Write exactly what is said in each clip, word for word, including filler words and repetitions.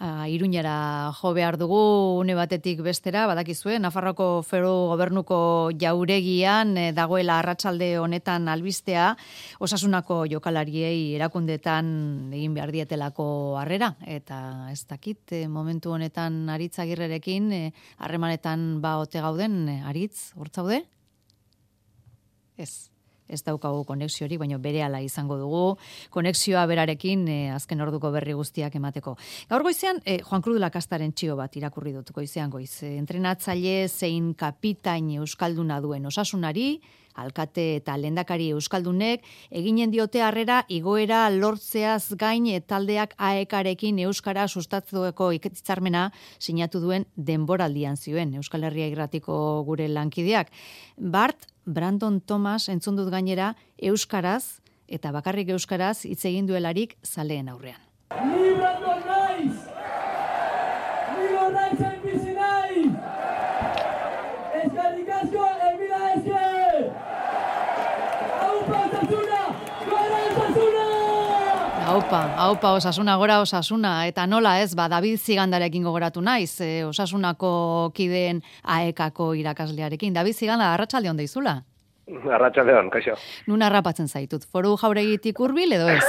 Iruñara jo behar dugu une batetik bestera, badakizue, Nafarroko Foru Gobernuko jauregian dagoela arratsalde honetan albistea, Osasunako jokalariei erakundetan egin behar dietelako harrera, eta ez dakit, momentu honetan Aritz Agirrerekin harremanetan ba ote gauden, Aritz, hortzaude? Ez. Ez daukagu konexiorik, baina berehala izango dugu. Konexioa berarekin eh, azken orduko berri guztiak emateko. Gaur goizean, eh, Juan Cruz Lakastaren txio bat irakurri dut goizean goiz. Eh, entrenatzaile zein kapitain euskalduna duen Osasunari, alkate eta lehendakari euskaldunek, eginen diote harrera igoera lortzeaz gain taldeak aekarekin euskara sustatzueko hitzarmena sinatu duen denboraldian zioen Euskal Herria Irratiko gure lankideak. Bart Brandon Thomas entzun dut gainera euskaraz eta bakarrik euskaraz hitz egin duelarik zaleen aurrean. Ni Brandon naiz! Ni gorraitzen bizi naiz! Eskerrik asko, emila esker! Aupa Osasuna! Gora Osasuna! Aupa, aupa Osasuna, gora Osasuna, eta nola ez, ba, David Zigandarekin gogoratu naiz, e, Osasunako kideen aekako irakaslearekin. David Ziganda, arratsalde on deizula? Arratsalde on, kaixo. Nun harrapatzen zaitut, Foru Jauregitik hurbil edo ez?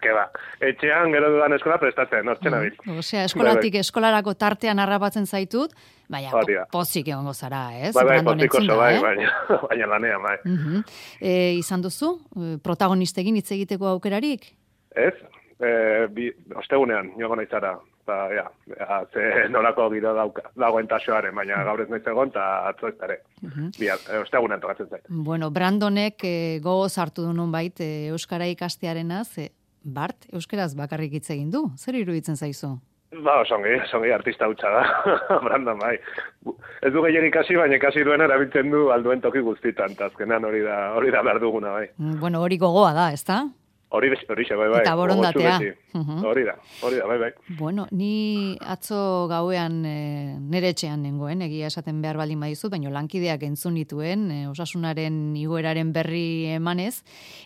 Ke ba, etxean gero dudan eskola prestatzen, hortzen abil. Mm, Osea, eskolatik eskolarako tartean harrapatzen zaitut, baina po, pozik egongo zara, ez? Bai, bai, pozik oso, bai, eh? baina, baina lanean, bai. Uh-huh. e, izan duzu, protagonistekin hitz egiteko aukerarik? Ez, e, bi, ostegunean, joan naizara, eta, ja, ja, ze nolako giro dagoen tasoaren, baina gaur ez naiz egon, eta atzo ez dara. Uh-huh. Ostegunean tokatzen zait. Bueno, Brandonek e, gogoz hartu du nunbait e, euskara ikastearenaz, e, Bart, euskaraz bakarrik hitz egin du, zer iruditzen zaizu? Ba, osongi, osongi artista hutsa da, Brandon, bai. Ez du gehien ikasi, baina ikasi duena erabiltzen du alduen toki guztitan, eta azkenan hori da, hori da behar duguna, bai. Bueno, hori gogoa da, ezta? Hori hori bai, bai. Eta borondatea. Uh-huh. Hori da, hori da, bai, bai. Bueno, ni atzo gauean e, nere etxean nengoen, egia esaten behar baldin badizut, baina lankideak entzun nituen, e, Osasunaren igoeraren berri emanez,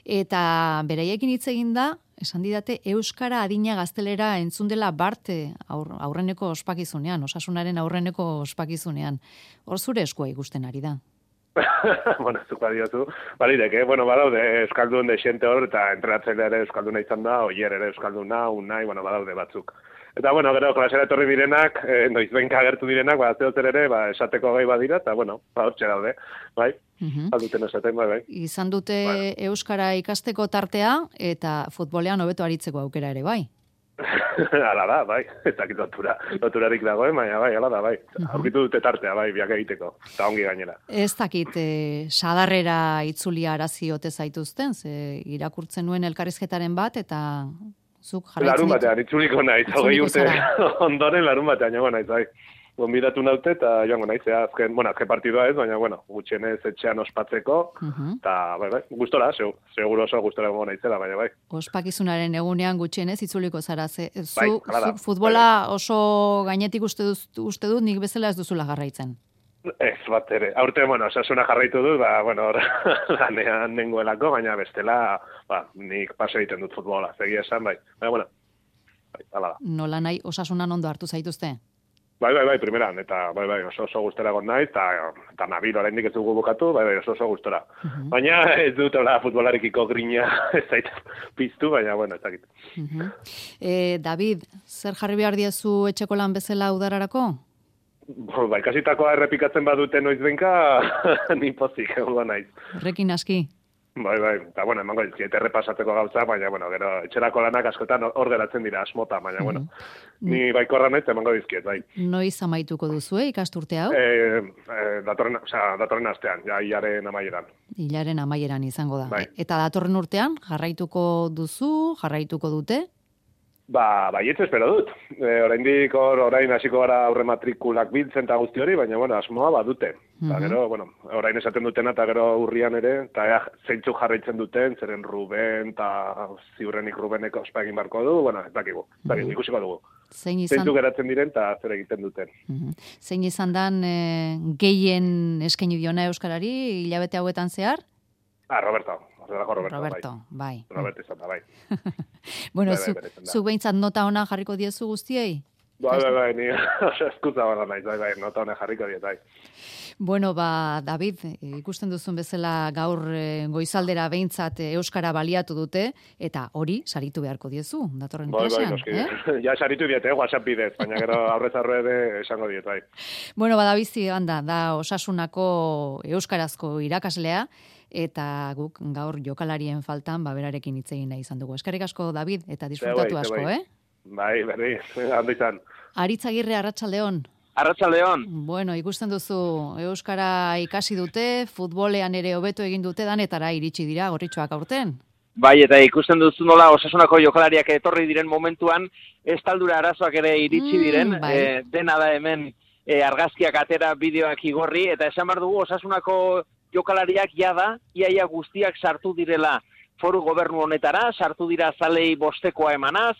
eta beraiekin hitz egin da, esan didate, euskara adina gaztelera entzun dela Bart aur, aurreneko ospakizunean, Osasunaren aurreneko ospakizunean. Hor zure eskua ikusten ari da. Bueno, zuka diozu, balirek, eh? Bueno, badaude euskaldun de xente hor, eta entrenatzailea ere euskalduna izan da, oier ere euskalduna, unai, bueno, badaude batzuk. Eta, bueno, gero, klasera etorri direnak, eh, noizbenka agertu direnak, ba, zeozer ere, ba, esateko gai badira, eta, bueno, ba, hortxe daude, bai? Uh-huh. Alduten esaten, bai, bai. Izan dute bai. Euskara ikasteko tartea, eta futbolean hobeto aritzeko aukera ere, bai? Ala da, bai, ez dakit lotura, loturarik dagoen, baina bai, ala da, bai. Uh-huh. Aurkitu dute tartea, bai, biak egiteko, eta ongi gainera. Ez dakit, eh, sadarrera itzulia arazi ote zaituzten, ze irakurtzen nuen elkarrizketaren bat, eta zuk jarraitzen... Larun batean, itzuliko naiz, hogei urte ondoren larun batean, joan naiz, bai. Gonbidatu naute eta joango naiz, azken, bueno, azken partidua ez, baina, bueno, gutxienez etxean ospatzeko, eta, uh-huh. bai, bai, gustora, seguro oso gustora gongo naizela, baina, bai. Ospakizunaren egunean gutxienez itzuliko zara, ze, zu, bai, zu futbola bai. Oso gainetik uste dut, uste dut nik bezala ez duzula jarraitzen. Ez, bat ere, aurte, bueno, Osasuna jarraitu dut, ba, bueno, lanean nengoelako, baina bestela, ba, nik paso egiten dut futbola, zegia esan, bai, baina, bueno, bai, ala da. Nola nahi Osasunan ondo hartu zaituzte? Bai, bai, bai, primeran, eta bai, bai, oso oso gustora egon naiz, eta, eta nabil oraindik ez dugu bukatu, bai, bai, oso oso gustora. Uh-huh. Baina ez dut hola futbolarikiko grina ez zait piztu, baina, bueno, ez dakit. Uh-huh. eh, David, zer jarri behar diezu etxeko lan bezala udararako? Ba, ikasitakoa errepikatzen badute noizbenka, ni pozik egongo naiz. Horrekin aski? Bai, bai, eta, bueno, emango dizkiet errepasatzeko gauza, baina, bueno, gero, etxerako lanak askotan hor geratzen dira asmota, baina, bueno, mm. ni baikorra naiz emango dizkiet, bai. Noiz amaituko duzue ikasturte hau? Eh, eh, datorren, o sea, datorren astean, ja, hilaren amaieran. Hilaren amaieran izango da. Bai. Eta datorren urtean, jarraituko duzu, jarraituko dute? Ba, baietz espero dut. E, oraindik hor, orain hasiko gara aurre matrikulak biltzen eta guzti hori, baina, bueno, asmoa badute. Mm-hmm. Eta gero, bueno, orain esaten dutena, eta gero urrian ere, eta ea, zeintzu jarraitzen duten, zeren Ruben, eta ziurrenik Rubeneko ospa egin barko du, bueno, ez dakigu, ez dakigu, ikusiko dugu. Zein izan... Zeintzu geratzen diren, eta zer egiten duten. Mm-hmm. Zein izan dan e, gehien eskaini diona Euskarari, hilabete hauetan zehar? Ah, Roberto. Roberto, Roberto, bai. bai. Roberto izan da, bai. Bueno, bai, zu, bai, zu behintzat nota ona jarriko diezu guztiei? Bai, bai, bai, ni eskutza bala naiz, bai, bai, nota honek jarriko diet, bai. Bueno, ba, David, ikusten duzun bezala gaur goizaldera behintzat euskara baliatu dute, eta hori saritu beharko diezu, datorren bai, klasean. Bai, noski, ja saritu diet, eh, WhatsApp bidez, baina gero aurrez aurre ere esango diet, bai. Bueno, badabizi, handa, da Osasunako euskarazko irakaslea, eta guk gaur jokalarien faltan ba berarekin hitz egin nahi izan dugu. Eskerrik asko, David, eta disfrutatu asko, eh? Bai, berri, hando izan. Aritz Agirre, arratsaldeon. Arratsaldeon. Bueno, ikusten duzu, euskara ikasi dute, futbolean ere hobeto egin dute danetara iritsi dira gorritxoak aurten. Bai, eta ikusten duzu nola Osasunako jokalariak etorri diren momentuan, estaldura arazoak ere iritsi diren, mm, bai. e, dena da hemen e, argazkiak atera, bideoak igorri, eta esan behar dugu Osasunako jokalariak jada, iaia guztiak sartu direla foru gobernu honetara, sartu dira zalei bostekoa emanaz,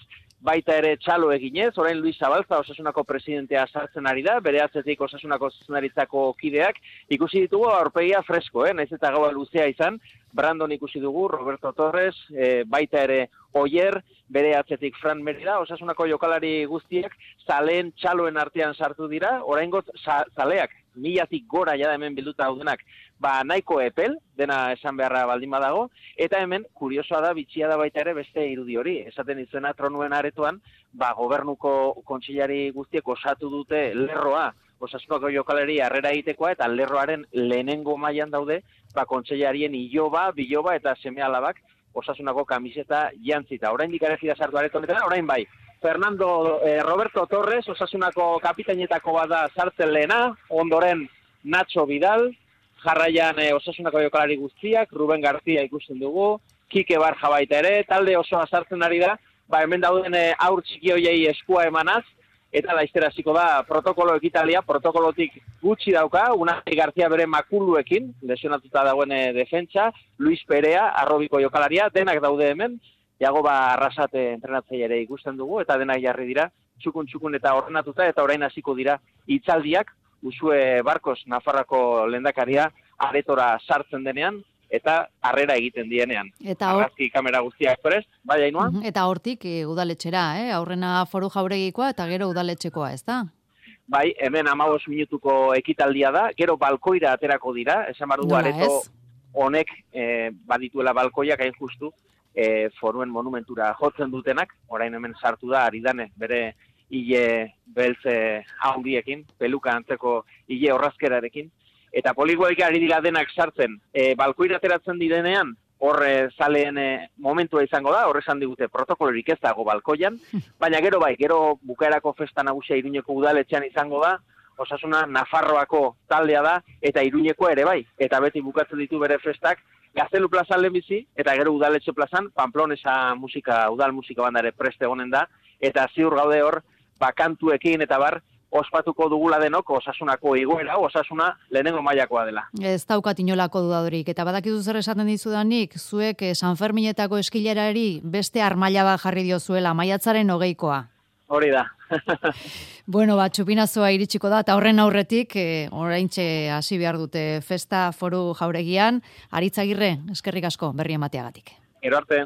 baita ere txalo eginez, orain Luis Zabalza Osasunako presidentea sartzen ari da, bere atzetik Osasunako zuzendaritzako kideak, ikusi ditugu aurpegia fresko, eh? Naiz eta gaua luzea izan, Brandon ikusi dugu, Roberto Torres, e, baita ere Oier, bere atzetik Fran Merida, Osasunako jokalari guztiak, zaleen txaloen artean sartu dira, oraingoz zaleak, milatik gora jada hemen bilduta daudenak, ba nahiko epel, dena esan beharra baldin badago, eta hemen, kuriosoa da, bitxia da baita ere beste irudi hori, esaten izuena tronuen aretoan, ba gobernuko kontseilari guztiek osatu dute lerroa, Osasunako jokalari harrera egitekoa, eta lerroaren lehenengo mailan daude, ba kontseilarien iloba, biloba eta seme-alabak Osasunako kamiseta jantzita. Oraindik ere gira sartu areto honetan, orain bai. Fernando eh, Roberto Torres, Osasunako kapitainetako bada sartzen lehena, ondoren Nacho Vidal, jarraian eh, Osasunako jokalari guztiak, Ruben García ikusten dugu, Kike Barja baita ere, talde osoa sartzen ari da, ba hemen dauden eh, aur txiki hoiei eskua emanaz, eta laiztera hasiko da protokolo ekitalia, protokolotik gutxi dauka, Unai García bere makuluekin, lesionatuta dagoen e, defentsa, Luis Perea, arrobiko jokalaria, denak daude hemen, Jagoba Arrasate entrenatzaile ere ikusten dugu, eta denak jarri dira, txukun-txukun eta ordenatuta, eta orain hasiko dira hitzaldiak, Usue Barkos, Nafarrako lehendakaria, aretora sartzen denean, eta harrera egiten dienean. Eta hor... Argazki kamera guztiak prest, bai Ainhoa? Eta hortik e, udaletxera, eh? Aurrena foru jauregikoa eta gero udaletxekoa, ez da? Bai, hemen hamabost minutuko ekitaldia da, gero balkoira aterako dira, esan bardu areto honek e, badituela balkoiak hain justu, e, foruen monumentura jotzen dutenak, orain hemen sartu da, aridane, bere hile beltze handiekin, peluka antzeko hile horrazkerarekin, eta poligoik ari dira denak sartzen, e, balkoira ateratzen direnean, horre zaleen e, momentua izango da, horre esan digute protokolorik ez dago balkoian, baina gero bai, gero bukaerako festa nagusia Iruñeko udaletxean izango da, Osasuna Nafarroako taldea da, eta Iruñeko ere bai, eta beti bukatzen ditu bere festak, Gaztelu plazan lehenbizi, eta gero udaletxe plazan, Pamplonesa musika, udal musika bandare preste egonen da, eta ziur gaude hor, bakantuekin eta bar, ospatuko dugula denok Osasunako igoera, Osasuna lehenengo mailakoa dela. Ez daukat inolako dudadorik, eta badakizu zer esaten dizudanik, zuek San Ferminetako eskilerari beste armaila bat jarri diozuela, maiatzaren hogeikoa. Hori da. Bueno, ba, txupinazoa iritsiko da, eta horren aurretik, e, oraintxe hasi behar dute festa foru jauregian, Aritz Agirre, eskerrik asko berri emateagatik. Gero arte.